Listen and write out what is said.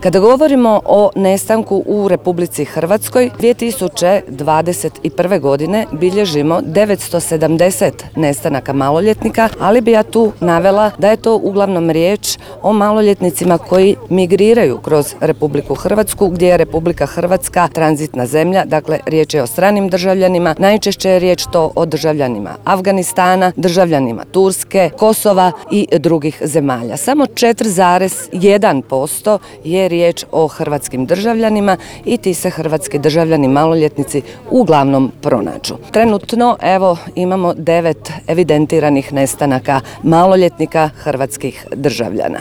Kada govorimo o nestanku u Republici Hrvatskoj, 2021. godine bilježimo 970 nestanaka maloljetnika, ali bi ja tu navela da je to uglavnom riječ o maloljetnicima koji migriraju kroz Republiku Hrvatsku, gdje je Republika Hrvatska tranzitna zemlja, dakle riječ je o stranim državljanima, najčešće je riječ to o državljanima Afganistana, državljanima Turske, Kosova i drugih zemalja. Samo 4,1% je riječ o hrvatskim državljanima i ti se hrvatski državljani maloljetnici uglavnom pronađu. Trenutno evo imamo 9 evidentiranih nestanaka maloljetnika hrvatskih državljana.